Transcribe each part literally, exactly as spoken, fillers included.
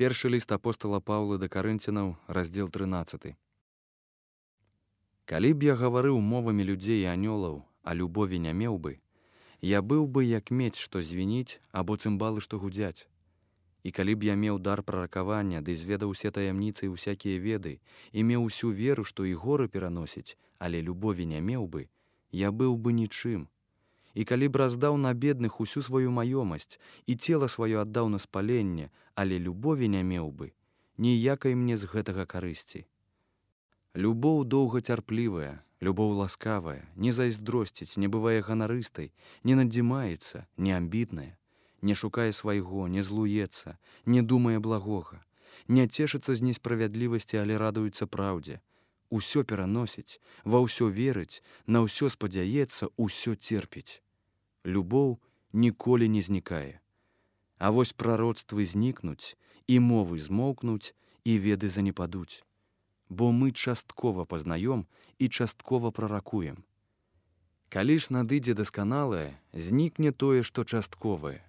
Першы ліст апостала Паўла да Карынцянаў, раздзел трынаццаты. Калі б я гаварыў мовамі людзей і анёлаў, а любові не меў бы, я быў бы як медзь, што звініць, або цымбалы, што гудзяць. І калі б я меў дар праракавання, ды зведаў усе таямніцы і ўсякія веды, і меў усю веру, што і горы пераносіць, але любові не меў бы, я быў бы нічым. І калі б раздаў на бедных усю сваю маёмасць і цела сваё аддаў на спаленне, але любові не меў бы, ніякай мне з гэтага карысці. Любоў доўгацярплівая, любоў ласкавая, не зайздросціць, не бывае ганарыстай, не надзімаецца, не амбітная, не шукае свайго, не злуецца, не думае благога, не цешыцца з несправядлівасці, але радуецца праўдзе, усё пераносіць, ва ўсё верыць, на ўсё спадзяецца, усё церпіць. Любоў ніколі не знікае. А вось прароцтвы знікнуць, і мовы змоўкнуць, і веды занепадуць. Бо мы часткова пазнаём і часткова праракуем. Калі ж надыдзе дасканалае, знікне тое, што частковае.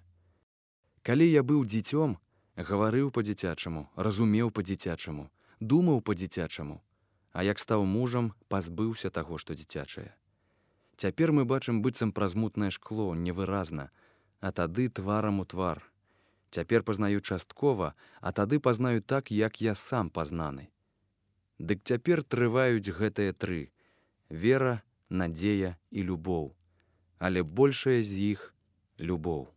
Калі я быў дзіцём, гаварыў па-дзіцячаму, разумеў па-дзіцячаму, думаў па-дзіцячаму, а як стаў мужам, пазбыўся таго, што дзіцячае. Цяпер мы бачым быццам праз мутнае шкло, невыразна, а тады тварам у твар. Цяпер пазнаю часткова, а тады пазнаю так, як я сам пазнаны. Дык цяпер трываюць гэтыя тры: вера, надзея і любоў. Але большая з іх — любоў.